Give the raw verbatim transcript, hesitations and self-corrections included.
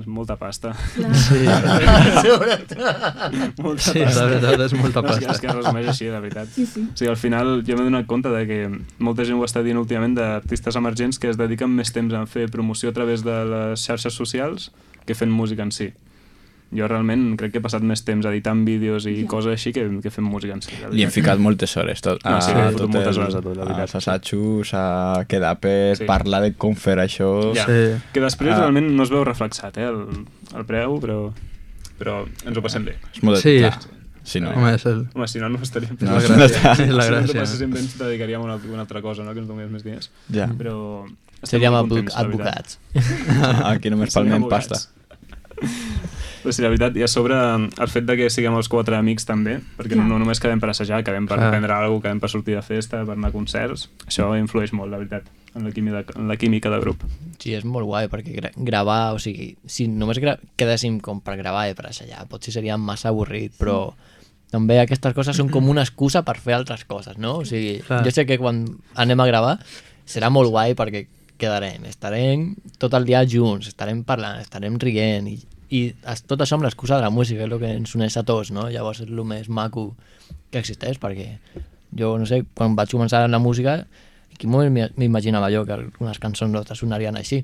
molta pasta. Clar. Sí, molta sí, pasta. la veritat és molta És que, pasta. és que es resumeix així, de veritat. Sí, sí. O sigui, al final jo m'he donat compte de que molta gent ho està dient últimament d'artistes emergents que es dediquen més temps a fer promoció a través de les xarxes socials que fent música en si. Jo realment crec que he passat més temps editant vídeos i Ja. coses així que, que fent música en si. Li hem ficat moltes hores, tot. No, sí, a he fotut tot moltes el- hores a tot, la veritat. als assajos, a quedar per Sí. parlar de com fer això. Ja. Sí. Que després Ah. realment no es veu reflexat, eh, el, el preu, però, però ens ho passem bé. És molt... Sí. Clar, si no... Home, és el... Home, si no, no estaríem fent No, és no la està. gràcia. És la Si no ens ho gràcia. passéssim bé, ens dedicaríem a una, una altra cosa, no? Que ens donés més diners. Ja. Però estem Seríem molt advoc- contents, la veritat. advocats. Aquí només Seríem palmem abogats. pasta. Però sí, la veritat, i a sobre el fet de que siguem els quatre amics també, perquè no, Clar. no només quedem per assajar, quedem per Clar. prendre alguna cosa, quedem per sortir de festa, per anar a concerts, això influeix molt, la veritat, en la química de, en la química de grup. Sí, és molt guai, perquè gra gravar, o sigui, si només gra quedéssim com per gravar i per assajar, potser seria massa avorrit, però també aquestes coses són com una excusa per fer altres coses, no? O sigui, Clar. jo sé que quan anem a gravar serà molt guai perquè quedarem, estarem tot el dia junts, estarem parlant, estarem rient i, i es- tot això amb l'excusa de la música és el que ens uneix a tots, no? Llavors és el més maco que existeix, perquè jo, no sé, quan vaig començar amb la música, en quin moment m'i- m'imaginava jo que algunes cançons nostres sonarien així?